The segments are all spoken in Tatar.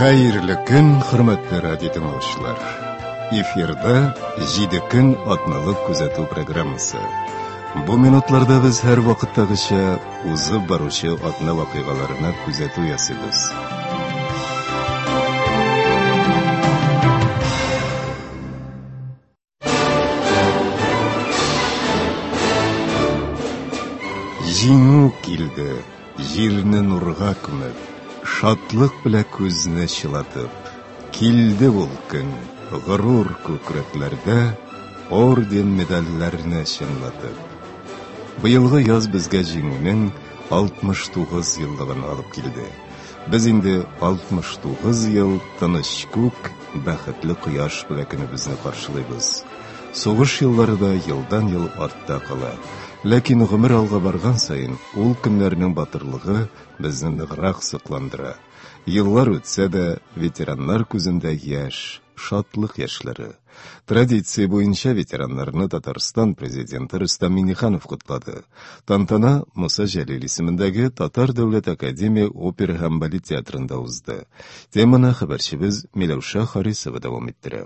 Хәерле көн, хөрмәтле радио тыңлаучылар. Эфирда 7 көн атналык күзәтү программасы. Бу минутларда без һәр вакыттагыча узып баручы атна вакыйгаларына күзәтү ясыйбыз. Җиңү килде, җирне нурга күмеп, шатлык белән күзне чылатып. Килде ул көн, горур күкрәкләрдә орден-медальләрне чыңлатып. Быелгы яз безгә җиңүнең 69 еллыгын алып килде. Без инде 69 ел тыныч күк, бәхетле кояш белән көнебезне каршылыйбыз. Сугыш еллары да елдан-ел артта кала. Ләкин гомер алга барган саен ул көннәрнең батырлыгы безне ныграк сокландыра. Еллар үтсә дә, ветераннар күзендә яшь, шатлык яшьләре. Традиция буенча ветераннарны Татарстан президенты Рөстәм Миңнеханов котлады. Тантана Муса Җәлил исемендәге Татар дәүләт академия опера һәм балет театрында узды. Теманы хәбәрчебез Миләүшә Харисова дәвам иттерә.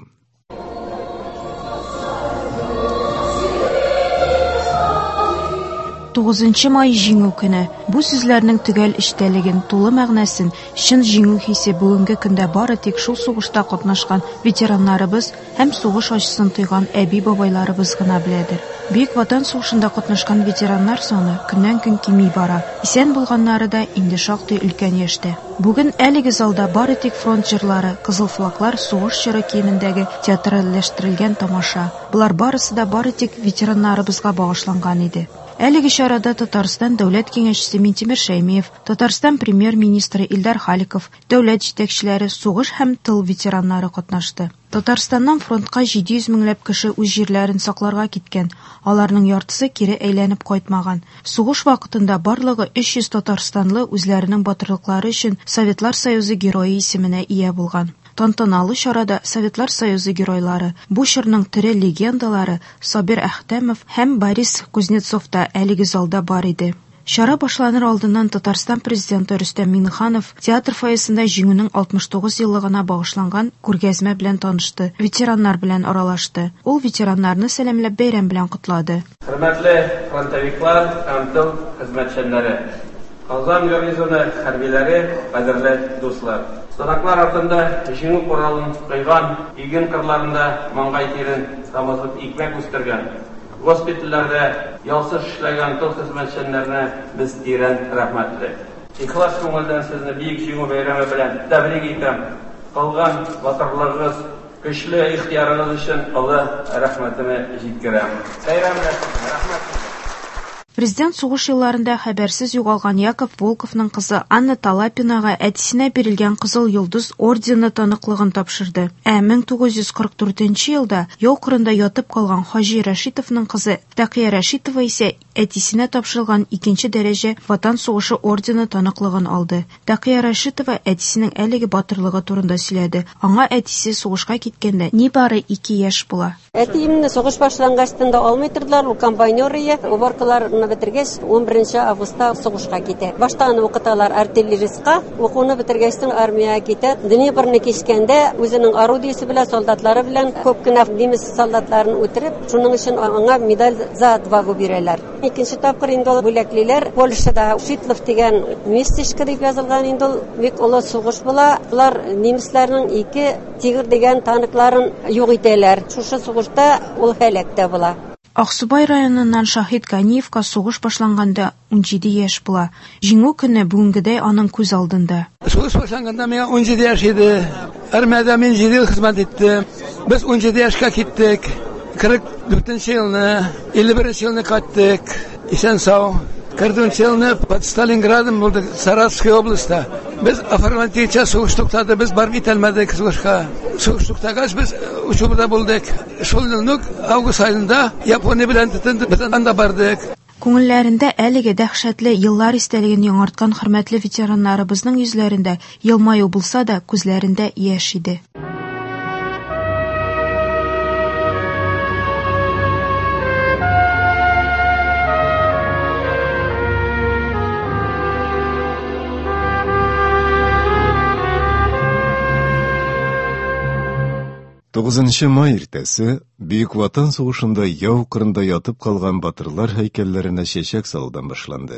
Тугызынчы май Җиңү көне. Бу сүзләрнең төгәл эчтәлеген, тулы мәгънәсен, чын җиңү хисе бүгенге көндә бары тик шул сугышта катнашкан ветераннарыбыз һәм сугыш ачысын тойган әби-бабайларыбыз гына беләдер. Бөек Ватан сугышында катнашкан ветераннар саны көннән-көн кими бара. Исән булганнары да инде шактый өлкән яшьтә. Бүген әлеге залда бары тик фронт җырлары, кызыл флаглар, сугыш чоры киемендәге театральләштерелгән тамаша. Болар барысы да бары тик ветераннарыбызга багышланган иде. Әлеге чарада Татарстан Дәүләт Киңәшчесе Минтимер Шәймиев, Татарстан Премьер-министры Илдар Халиков, дәүләт җитәкчеләре, сугыш һәм тыл ветераннары катнашты. Татарстаннан фронтка 700 меңләп кеше үз җирләрен сакларга киткән, аларның яртысы кире әйләнеп кайтмаган. Сугыш вакытында барлыгы 300 татарстанлы үзләренең батырлыклары өчен Советлар Союзы Герое исеменә ия булган. Тантаналы чарада Советлар Союзы геройлары, бу чорның тере легендалары Сабир Әхтәмов һәм Борис Кузнецов та әлеге залда бар иде. Чара башланыр алдыннан Татарстан Президенты Рөстәм Миңнеханов театр фойесында Җиңүнең 69 еллыгына багышланган күргәзмә белән танышты, ветераннар белән аралашты. Ул ветераннарны сәламләп бәйрәм белән котлады. Хөрмәтле фронтовиклар һәм тыл хезмәтчәннәре! Казан гарнизоны хәрбиләре, кадерле дуслар! Сараклар артында җиңү коралын койган, иген кырларында маңгай тирен тамызып икмәк үстергән, госпитальләрдә ялсыз эшләгән тыл хезмәтчәннәренә без тирән рәхмәтле. Ихлас күңелдән сезне Бөек Җиңү бәйрәме белән тәбрик итәм, кылган батырлыгыгыз, көчле ихтыярыгыз өчен олы рәхмәтемне җиткерәм. Бәйрәм белән сезне! Рәхмәт сезгә! Президент сугыш елларында хәбәрсез югалган Яков Волковның кызы Анна Талапинага әтисенә бирелгән Кызыл Йолдыз ордены таныклыгын тапшырды. Ә 1944 елда яу кырында ятып калган Хаҗи Рәшитовның кызы Тәкыя Рәшитова исә әтисенә тапшырылган икенче дәрәҗә Ватан сугышы ордены таныклыгын алды. Тәкыя Рәшитова әтисенең әлеге батырлыгы турында сөйләде. Аңа әтисе сугышка киткәндә нибары ике яшь була. Әтиемне сугыш башлангачтан да алмый тордылар, ул комбайнер ие. Уборкаларны бетергәч, 11 августта сугышка китә. Башта аны укыталар артиллеристка, укуны бетергәчтен армиягә китә. Днепрны кичкәндә үзенең орудиесе белән, солдатлары белән күп кенә немец солдатларын үтереп, шуның өчен аңа медаль за отвагу бирәләр. Икенче тапкыр инде ул бүләклиләр. Польшада Шитлов дигән местечко дип язылган инде ул бик олы сугыш була. Болар немецларның ике Тигр дигән танкларын юк итәләр. Шушы сугышта ул һәлак тә була. Аксубай районыннан Шаһит Ганиевка сугыш башланганда 17 яшь була. Җиңү көне бүгенгедәй аның күз алдында. Сугыш башланганда миңа 17 яшь иде. Армиядә мин 7 ел хезмәт иттем. Без 17 яшькә киттек. 44 нче елны, 51 елны кайттык. Исән-сау. 44 елны под Сталинградом булдык, Саратовская областьта. Без оформлять сугыш туктады, без барып итәлмәдек сугышка. Сугыш туктагач, без учебада булдык. Шул елны август аенда Япония белән тотынды, без анда бардык. Күңелләрендә әлеге дәһшәтле еллар истәлеген яңарткан хөрмәтле ветераннарыбызның йөзләрендә елмаю булса да, күзләрендә яшь иде. 9 май иртәсе Бөек Ватан сугышында яу кырында ятып калган батырлар һәйкәлләренә чәчәк салудан башланды.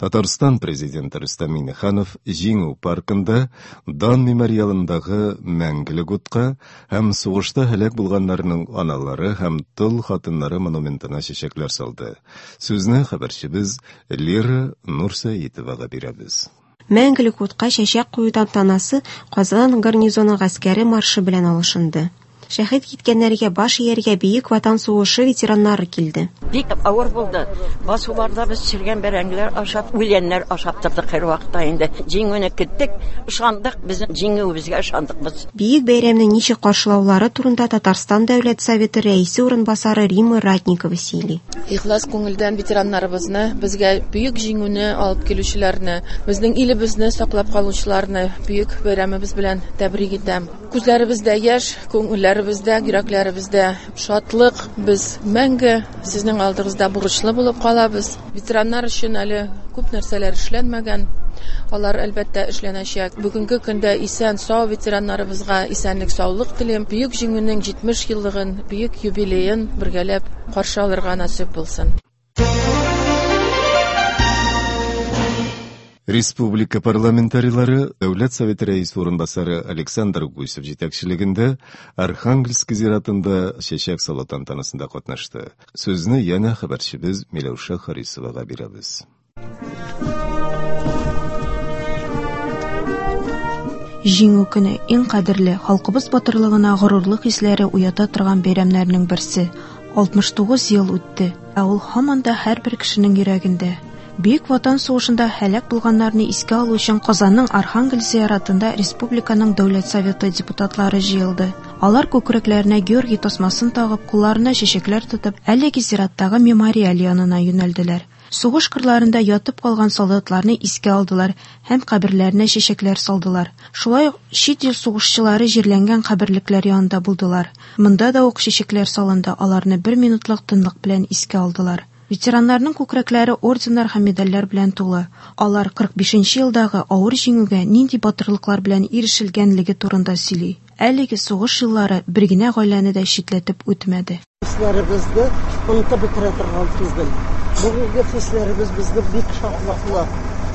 Татарстан президенты Рөстәм Миңнеханов Җиңү паркында Дан мемориалындагы Мәңгелек утка һәм сугышта һәлак булганнарның аналары һәм тол хатыннары монументына чәчәкләр салды. Сүзне хәбәрчебез Лира Нурсәетовага бирәбез. Мәңгелек утка чәчәк кую тантанасы Казан гарнизоны гаскәре маршы белән алышынды. Шәһит киткәннәргә баш ияргә Бөек Ватан сугышы ветераннары килде. Бик авыр булды. Басуларда без чергән бәрәңгеләр ашап, үләннәр ашап тордык һәрвакытта инде. Җиңүне көттек, ышандык, безнең җиңүебезгә ышандык без. Бөек бәйрәмне ничек каршылаулары турында Татарстан Дәүләт Советы рәисе урынбасары Римма Ратникова сөйли. Ихлас күңелдән ветераннарыбызны, безгә бөек җиңүне алып килүчеләрне, безнең илебезне саклап калучыларны бөек бәйрәмебез белән тәбрик итәм. Күзләребездә яшь, күңелләребездә, йөрәкләребездә шатлык. Без мәңге сезнең алдыгызда бурычлы булып калабыз. Ветераннар өчен әле күп нәрсәләр эшләнмәгән. Алар әлбәттә эшләнәчәк. Бүгенге көндә исән сау ветераннарыбызга исәнлек, саулык телим. Бөек Җиңүнең 70 еллыгын, бөек юбилеен бергәләп каршы алырга насыйп булсын. Республика парламентарийлары Дәүләт Советы рәисе урынбасары Александр Гусев җитәкчелегендә Архангельск зиратында чәчәк салу тантанасында катнашты. Сүзне янә хәбәрчебез Миләүшә Харисовага бирәбез. Җиңү көне иң кадерле, халкыбыз батырлыгына горурлык хисләре уята торган бәйрәмнәрнең берсе. 69 ел үтте, ә ул һаман да һәрбер кешенең йөрәгендә. Бөек Ватан сугышында һәлак булганнарны искә алу өчен Казанның Архангель зияратында Республиканың Дәүләт Советы депутатлары җыелды. Алар күкрәкләренә Георгий тасмасын тагып, кулларына чәчәкләр тотып, әлеге зираттагы мемориаль янына юнәлделәр. Сугыш кырларында ятып калган солдатларны искә алдылар һәм каберләренә чәчәкләр салдылар. Шулай ук чит ил сугышчылары җирләнгән каберлекләр янында булдылар. Монда да ук чәчәкләр салынды, аларны бер минутлык тынлык белән искә алдылар. Ветераннарның күкрәкләре орденнар һәм медальләр белән тулы. Алар 45 елдагы авыр җиңүгә нинди батырлыклар белән ирешелгәнлеге турында сөйли. Әлеге сугыш еллары бер генә гаиләне дә читләтеп үтмәде. Хисләребезне онытып бетерә торган түгел. Бүгенге хисләребез безне бик шатлыклы.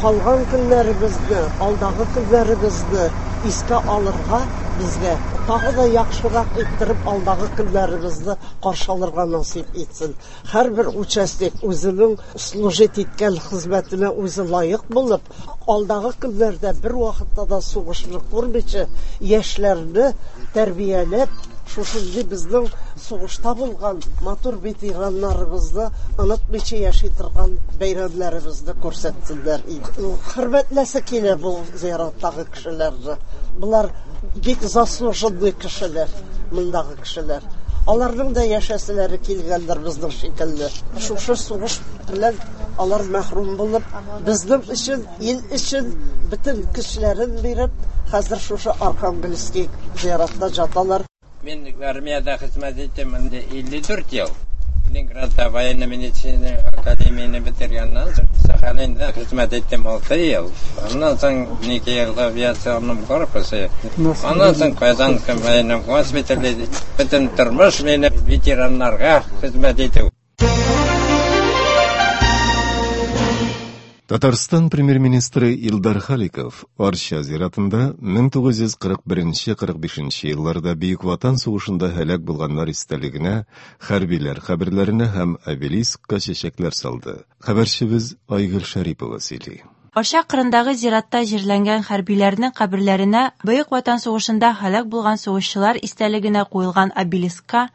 Калган көннәребезне, алдагы көннәребезне искә алырга безгә тагы да яхшырак иттереп алдагы көннәребезне каршы алырга насыйп итсен. Һәрбер участник үзенең служить иткән хезмәтенә үзе лаек булып, алдагы көннәрдә бер вакытта да сугышны күрмичә, яшьләрне тәрбияләп, шушындый безнең сугышта булган матур ветераннарыбызны онытмыйча яши торган бәйрәмнәребезне күрсәтсеннәр иде. Хөрмәтләсе килә бу зираттагы кешеләрне. Болар бик заслуженный кешеләр, мондагы кешеләр. Аларның да яшәселәре килгәндер безнең шикелле. Шушы сугыш белән алар мәхрүм булып, безнең өчен, ил өчен бөтен көчләрен биреп, хәзер шушы Архангельский зиратта жаталар. Мин армиядә хезмәт иттем инде 54 ел. Ленинградта военно-медицина академияне бетергәннән соң Сахалинда хезмәт иттем 6 ел. Аннан соң 2 ел авиационном корпусе. Аннан соң Казанском военном госпитале. Бөтен тормыш мине ветераннарга хезмәт итү. Татарстан премьер-министры Илдар Халиков Арча зиратында 1941-45 елларда Бөек Ватан сугышында һәлак булганнар истәлегенә хәрбиләр каберләренә һәм обелискка чәчәкләр салды. Хәбәрчебез Айгөл Шәрипова сөйли. Арча кырындагы зиратта җирләнгән хәрбиләрнең каберләренә Бөек Ватан сугышында һәлак булган сугышчылар истәлегенә куелган обелискка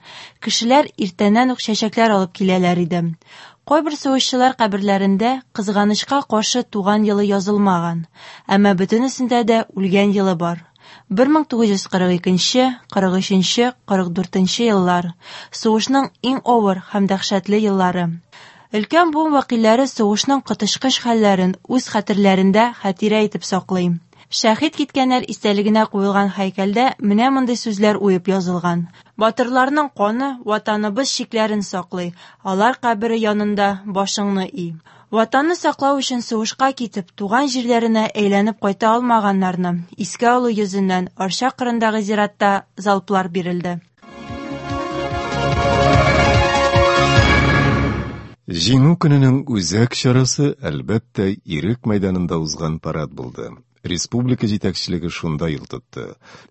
кешеләр иртәннән үк чәчәкләр алып киләләр иде. Кайбер сугышчылар каберләрендә кызганычка каршы туган елы язылмаган, әмма бөтенесендә дә үлгән елы бар. 1942, 43, 44 еллар сугышның иң авыр һәм дәһшәтле еллары. Өлкән буын вәкилләре сугышның коточкыч хәлләрен үз хәтерләрендә хатирә итеп саклый. Шәһит киткәннәр истәлегенә куелган һәйкәлдә менә мондый сүзләр уеп язылган. Батырларның каны ватаныбыз чикләрен саклый, алар кабере янында башыңны ий. Ватанны саклау өчен сугышка китеп, туган җирләренә әйләнеп кайта алмаганнарны искә алу йөзеннән Арча кырындагы зиратта залплар бирелде. Җиңү көненең үзәк чарасы, әлбәттә, Ирек мәйданында узган парад булды. Республика җитәкчелеге шунда юл тотты.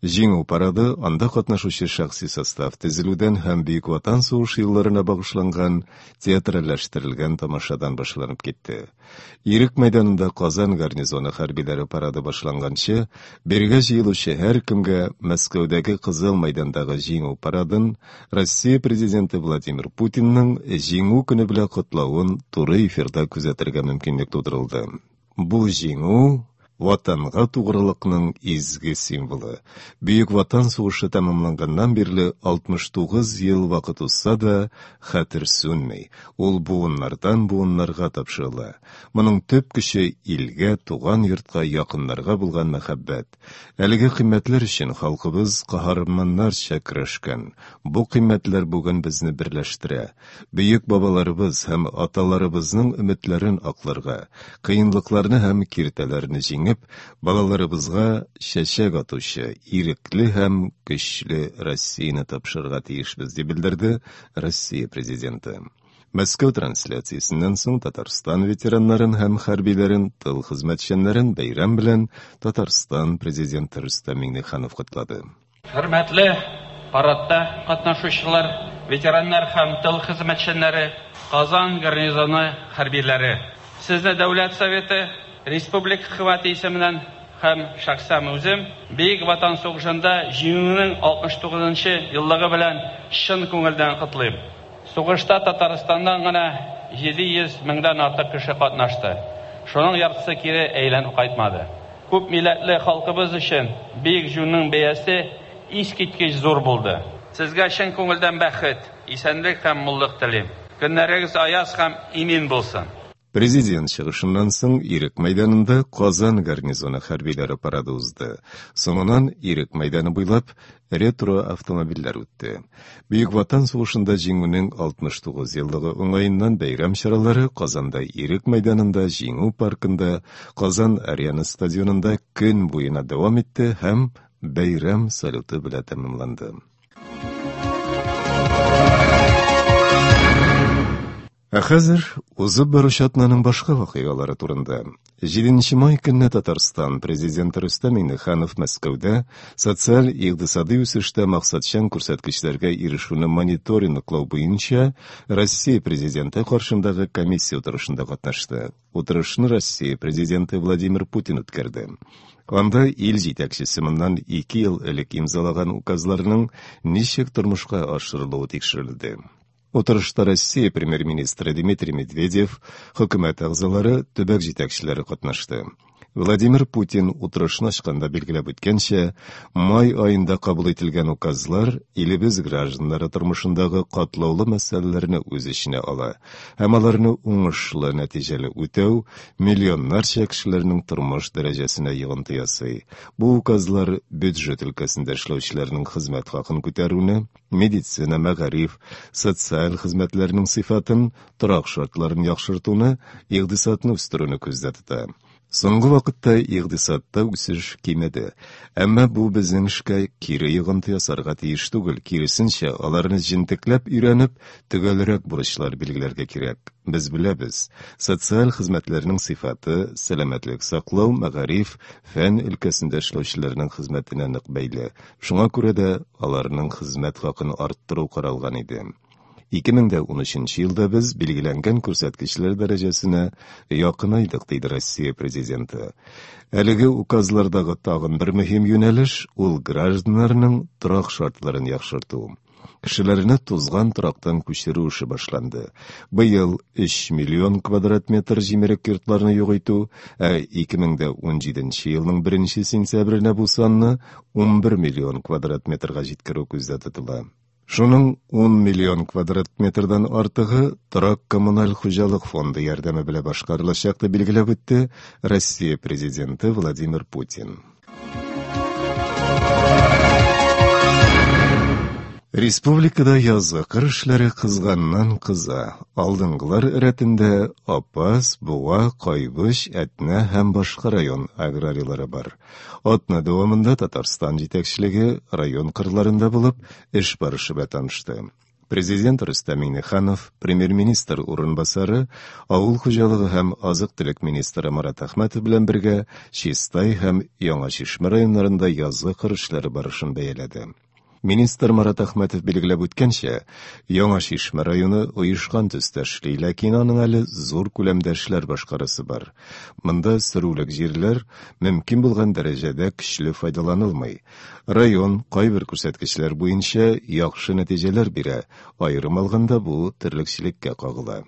Җиңү парады анда катнашучы шәхси состав тезелүдән һәм Бөек Ватан сугышы елларына багышланган театральләштерелгән тамашадан башланып китте. Ирек мәйданында Казан гарнизоны хәрбиләре парады башланганчы, бирегә җыелучы һәркемгә Мәскәүдәге Кызыл мәйдандагы Җиңү парадын Россия Президенты Владимир Путинның Җиңү көне белән котлавын туры эфирда күзәтергә мөмкинлек тудырылды. Бу җиңү, Ватанга тугрылыкның изге символы. Бөек Ватан сугышы тәмамланганнан бирле 69 ел вакыт узса да, хәтер сүнми, ул буыннардан буыннарга тапшырыла. Моның төп көче илгә, туган йортка, якыннарга булган мәхәббәт. Әлеге кыйммәтләр өчен халкыбыз каһарманнарча көрәшкән. Бу кыйммәтләр бүген безне берләштерә. Бөек бабаларыбыз һәм аталарыбызның өметләрен акларга, кыенлыкларны һәм киртәләрне җиңеп, балаларыбызга чәчәк атучы, ирекле һәм көчле Россияне тапшырырга тиешбез, дип белдерде Россия Президенты. Мәскәү трансляциясеннән соң Татарстан ветераннарын һәм хәрбиләрен, тыл хезмәтчәннәрен бәйрәм белән Татарстан Президенты Рөстәм Миңнеханов котлады. Хөрмәтле парадта катнашучылар, ветераннар һәм тыл хезмәтчәннәре, Казан гарнизоны хәрбиләре! Сезне Дәүләт Советы, республика Хөкүмәте исеменнән һәм шәхсән үзем Бөек Ватан сугышында Җиңүнең 69 нчы еллыгы белән чын күңелдән котлыйм. Сугышта Татарстаннан гына 700 меңнән артык кеше катнашты, шуның яртысы кире әйләнеп кайтмады. Күп милләтле халкыбыз өчен Бөек Җиңүнең бәясе искиткеч зур булды. Сезгә чын күңелдән бәхет, исәнлек һәм муллык телим. Көннәрегез аяз һәм имин булсын! Президент чыгышыннан соң Ирек мәйданында Казан гарнизоны хәрбиләре парады узды. Соңыннан Ирек мәйданы буйлап ретро-автомобильләр үтте. Бөек Ватан сугышында Җиңүнең 69 еллыгы уңаеннан бәйрәм чаралары Казанда Ирек мәйданында, Җиңү паркында, Казан Арена стадионында көн буена дәвам итте һәм бәйрәм салюты белән тәмамланды. Ә хәзер узып баручы атнаның башка вакыйгалары турында. 7 май көнне Татарстан Президенты Рөстәм Миңнеханов Мәскәүдә социаль-икътисадый үсештә максатчан күрсәткечләргә ирешүне мониторинглау буенча Россия Президенты каршындагы комиссия утырышында катнашты. Утырышны Россия Президенты Владимир Путин үткәрде. Анда ил җитәкчесе моннан ике ел элек имзалаган указларның ничек тормышка ашырылуы тикшерелде. Утырышта Россия Премьер-министры Дмитрий Медведев, хөкүмәт әгъзалары, төбәк җитәкчеләре катнашты. Владимир Путин утырышны ачканда билгеләп үткәнчә, май аенда кабул ителгән указлар илебез гражданнары тормышындагы катлаулы мәсьәләләрне үз эченә ала һәм аларны уңышлы, нәтиҗәле үтәү миллионнарча кешеләрнең тормыш дәрәҗәсенә йогынты ясый. Бу указлар бюджет өлкәсендә эшләүчеләрнең хезмәт хакын күтәрүне, медицина, мәгариф, социаль хезмәтләрнең сыйфатын, торак шартларын яхшыртуны, икътисадны үстерүне күздә тота. Соңгы вакытта икътисадта үсеш кимеде. Әмма бу безнең эшкә кире йогынты ясарга тиеш түгел, киресенчә, аларны җентекләп өйрәнеп, төгәлрәк бурычлар билгеләргә кирәк. Без беләбез, социаль хезмәтләрнең сыйфаты сәламәтлек саклау, мәгариф, фән өлкәсендә эшләүчеләрнең хезмәтенә нык бәйле. Шуңа күрә дә аларның хезмәт хакын арттыру каралган иде. 2013 елда без билгеләнгән күрсәткечләр дәрәҗәсенә якынайдык, диде Россия Президенты. Әлеге указлардагы тагын бер мөһим юнәлеш, ул гражданнарның торак шартларын яхшырту. Кешеләрне тузган торактан күчерү эше башланды. Быел 3 миллион квадрат метр җимерек йортларны юк итү, ә 2017 елның 1 сентябренә бу санны 11 миллион квадрат метрга җиткерү күздә тотыла. Шуның 10 миллион квадрат метрдан артыгы торак-коммуналь хуҗалык фонды ярдәме белән башкарылачак, дип билгеләп үтте Россия Президенты Владимир Путин. Республикада язгы кыр эшләре кызганнан кыза. Алдынгылар рәтендә Апас, Буа, Кайбыч, Әтнә һәм башка район аграрийлары бар. Атна дәвамында Татарстан җитәкчелеге район кырларында булып, эш барышы белән танышты. Президент Рөстәм Миңнеханов, премьер-министр урынбасары, авыл хуҗалыгы һәм азык-төлек министры Марат Әхмәтов белән бергә Чистай һәм Яңа Чишмә районнарында язгы кыр эшләре барышын бәяләде. Министр Марат Әхмәтов билгеләп үткәнчә, Яңа Чишмә районы оешкан төстә эшли, ләкин аның әле зур күләмдә эшләр башкарасы бар. Монда сөрүлек җирләр мөмкин булган дәрәҗәдә көчле файдаланылмый. Район кайбер күрсәткечләр буенча яхшы нәтиҗәләр бирә, аерым алганда бу терлекчелеккә кагыла.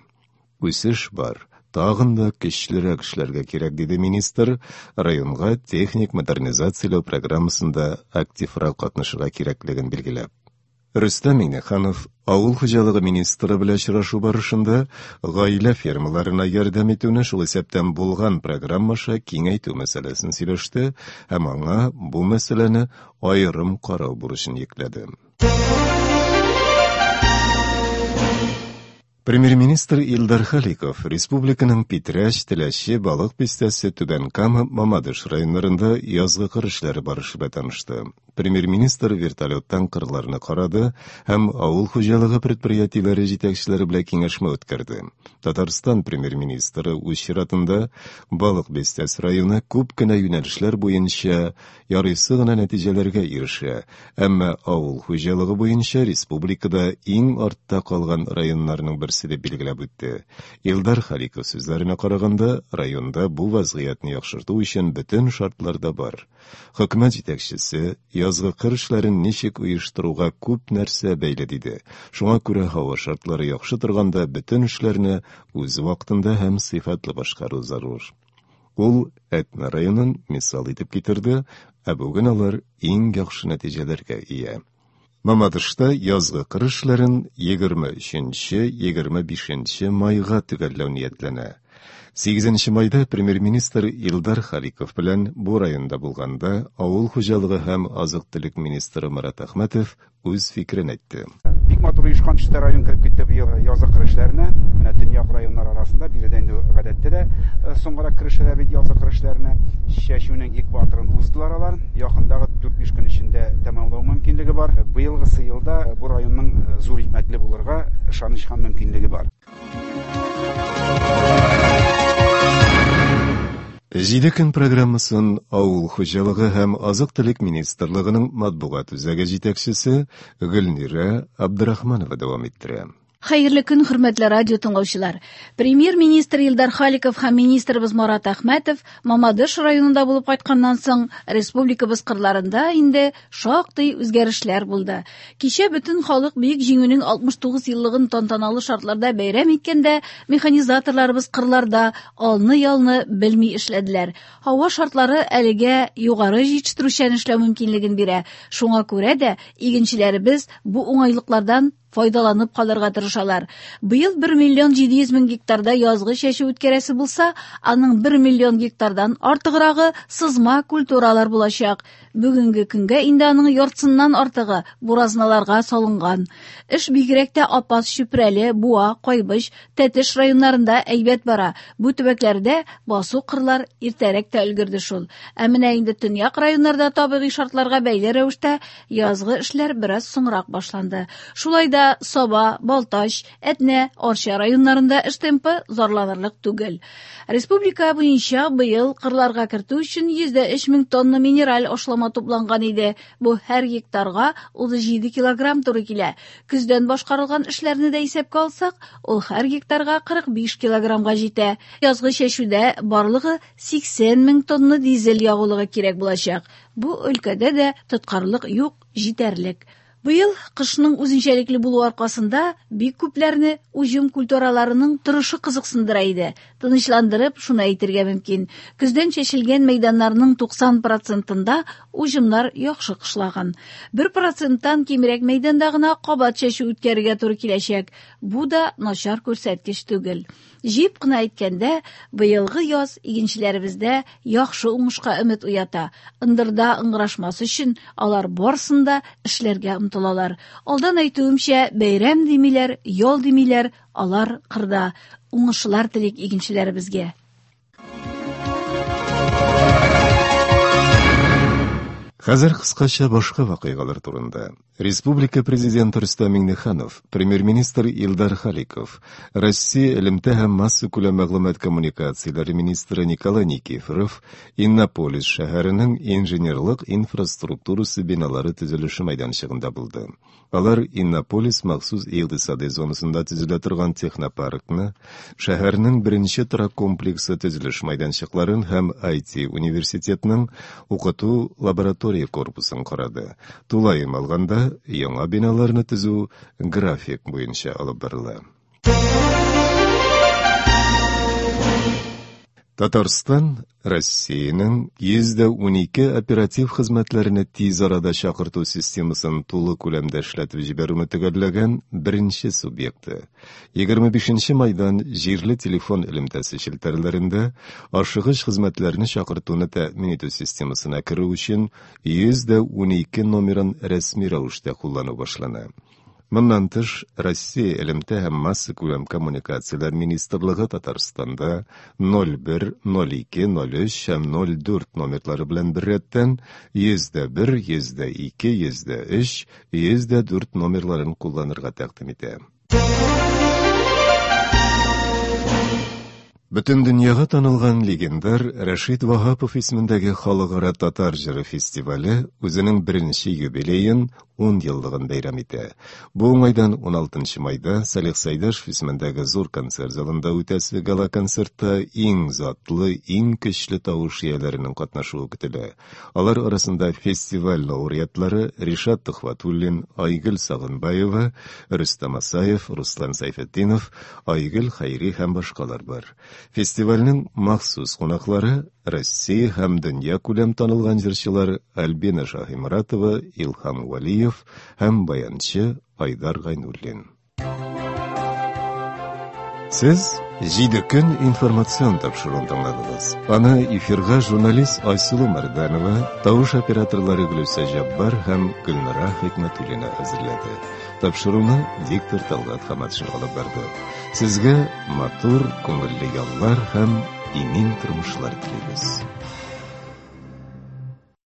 Үсеш бар, тагын да көчлерәк эшләргә кирәк, диде министр, районга техник модернизацияләү программасында активрак катнашырга кирәклеген билгеләп. Рөстәм Миңнеханов авыл хуҗалыгы министры белән очрашу барышында гаилә фермаларына ярдәм итүне, шул исәптән булган программа аша киңәйтү мәсьәләсен сөйләште һәм аңа бу мәсьәләне аерым карау бурычын йөкләде. Премьер-министр Илдар Халиков республиканың Питрәч, Теләче, Балык Бистәсе, Түбән Кама, Мамадыш районнарында язгы кыр эшләре барышы белән танышты. Премьер-министр вертолеттан кырларны карады һәм авыл хуҗалыгы предприятиеләре җитәкчеләре белән киңәшмә үткәрде. Татарстан премьер-министры үз чиратында Балык Бистәсе районы күп кенә юнәлешләр буенча ярыйсы гына нәтиҗәләргә ирешә, әмма авыл хуҗалыгы буенча республикада иң артта калган районнарның берсе дип билгеләп үтте. Илдар Халиков сүзләренә караганда, районда бу вазгыятьне яхшырту өчен бөтен шартлар да бар. Хөкүмәт җитәкчесе язгы кыр эшләрен ничек оештыруга күп нәрсә бәйле диде. Шуңа күрә һава шартлары яхшы торганда бөтен эшләрне үз вакытында һәм сыйфатлы башкару зарур. Ул Әтнә районын мисал итеп китерде, ә бүген алар иң яхшы нәтиҗәләргә ия. Мамадышта язгы кыр эшләрен 23-25 майга төгәлләү ниятләнә. 8 майда премьер-министр Илдар Халиков белән бу районда булганда авыл хуҗалыгы һәм азык-төлек министры Марат Әхмәтов үз фикерен әйтте. Бик матур оешкан төстә район кереп китте быел язгы кыр эшләренә. Менә төньяк районнар арасында биредә инде гадәттә дә э, соңгырак керешәләр бит язгы кыр эшләренә. Чәчүнең экваторын уздылар алар. Якындагы 4-5 көн эчендә тәмамлау мөмкинлеге бар. Быелгысы елда бу районның э, зур икмәкле булырга ышаныч һәм мөмкинлеге бар. Җиде көн программасын Авыл хуҗалыгы һәм азык-төлек министрлыгының матбугат үзәге җитәкчесе Гөлнирә Абдрахманова дәвам иттерә. Хәерле көн, хөрмәтле радио тыңлаучылар. Премьер-министр Илдар Халиков һәм министрыбыз Марат Әхмәтов Мамадыш районында булып кайтканнан соң республикабыз кырларында инде шактый үзгәрешләр булды. Кичә бөтен халык Бөек Җиңүнең 69 еллыгын тантаналы шартларда бәйрәм иткәндә, механизаторларыбыз кырларда алны-ялны белми эшләделәр. Һава шартлары әлегә югары җитештерүчән эшләү мөмкинлеген бирә. Шуңа күрә дә игенчеләребез бу уңайлыклардан файдаланып калырга тырышалар. Быел 1 миллион 700 мең гектарда язгы чәчү үткәрәсе булса, аның 1 миллион гектардан артыграгы сызма культуралар булачак. Бүгенге көнгә инде аның яртысыннан артыгы буразналарга салынган. Эш бигрәк тә Апас, Чүпрәле, Буа, Кайбыч, Тәтеш районнарында әйбәт бара. Бу төбәкләрдә басу-кырлар иртәрәк тә өлгерде шул. Ә менә инде төньяк районнарда табигый шартларга бәйле рәвештә язгы эшләр бераз соңрак башланды. Шулай да Саба, Балтач, Әтнә, Арча районнарында эш темпы зарланырлык түгел. Республика буенча быел кырларга кертү өчен 103 мең тонна минераль ашлама тупланган иде. Бу һәр гектарга 37 килограмм туры килә. Көздән башкарылган эшләрне дә исәпкә алсак, ул һәр гектарга 45 килограммга җитә. Язгы чәчүдә барлыгы 80 мең тонна дизель ягулыгы кирәк булачак. Бу өлкәдә дә тоткарлык юк, җитәрлек. Быел кышның үзенчәлекле булуы аркасында бик күпләрне уҗым культураларының торышы кызыксындыра иде. Тынычландырып, шуны әйтергә мөмкин. Көздән чәчелгән мәйданнарның 90 процентында уҗымнар яхшы кышлаган. 1 проценттан кимрәк мәйданда гына кабат чәчү үткәрергә туры киләчәк. Бу да начар күрсәткеч түгел. Җыеп кына әйткәндә, быелгы яз игенчеләребездә яхшы уңышка өмет уята. Ындырда ыңгырашмас өчен алар барысын да эшләргә омтылалар. Алдан әйтүемчә, бәйрәм димиләр, ял димиләр, алар кырда. Уңышлар телик игенчеләребезгә. Хәзер кыскача башка вакыйгалар турында. Республика Президенты Рөстәм Миңнеханов, Премьер-министр Илдар Халиков, Россия элемтә һәм массакүләм мәгълүмат коммуникацияләре министры Николай Никифоров Иннополис шәһәренең инженерлык инфраструктурасы биналары төзелеше мәйданчыгында булды. Алар Иннополис махсус икътисадый зонасында төзелә торган технопаркны, шәһәрнең беренче торак комплексы төзелеш мәйданчыкларын һәм IT-университетның укыту лаборатория корпусын карады. Тулаем алганда, яңа биналарны төзү график буенча алып барыла. Татарстан Россиянең 112 оператив хезмәтләрне тиз арада чакырту системасын тулы күләмдә эшләтеп җибәрүне төгәлләгән беренче субъекты. 25 майдан җирле телефон элемтәсе челтәрләрендә ашыгыч хезмәтләрне чакыртуны тәэмин итү системасына керү өчен 112 номерын рәсми рәвештә куллану башлана. Моннан тыш, Россия элемтә һәм массакүләм коммуникацияләр министрлыгы Татарстанда 01, 02, 03 һәм 04 номерлары белән беррәттән 101, 102, 103, 104 номерларын кулланырга тәкъдим итә. Бөтен дөньяга танылган легендар Рәшит Ваһапов исемендәге халыкара татар җыры фестивале үзенең беренче юбилеен 10 еллыгын бәйрәм итә. Бу уңайдан 16 майда Салих Сәйдәшев исемендәге зур концерт залында үтәсе гала-концертта иң затлы, иң көчле тавыш ияләренең катнашуы көтелә. Алар арасында фестиваль лауреатлары Ришат Төхвәтуллин, Айгөл Сагынбаева, Рөстәм Асаев, Руслан Сәйфетдинов, Айгөл Хәйри һәм башкалар бар. Фестивальнең махсус кунаклары Россия һәм дөнья күләм танылган җырчылар Альбина Шаһиморатова, Илһам Вәлиев һәм баянчы Айдар Гайнуллин. Сез Җиде көн информацион тапшыруын тыңладыгыз. Аны эфирга журналист Айсылу Мәрдәнова, тавыш операторлары Гөлүсә Җаббар һәм Гөлнара Хикмәтуллина әзерләде. Тапшыруны диктор Талгат Хаматшин алып барды. Сезгә матур, күңелле яллар һәм имин тормышлар телибез.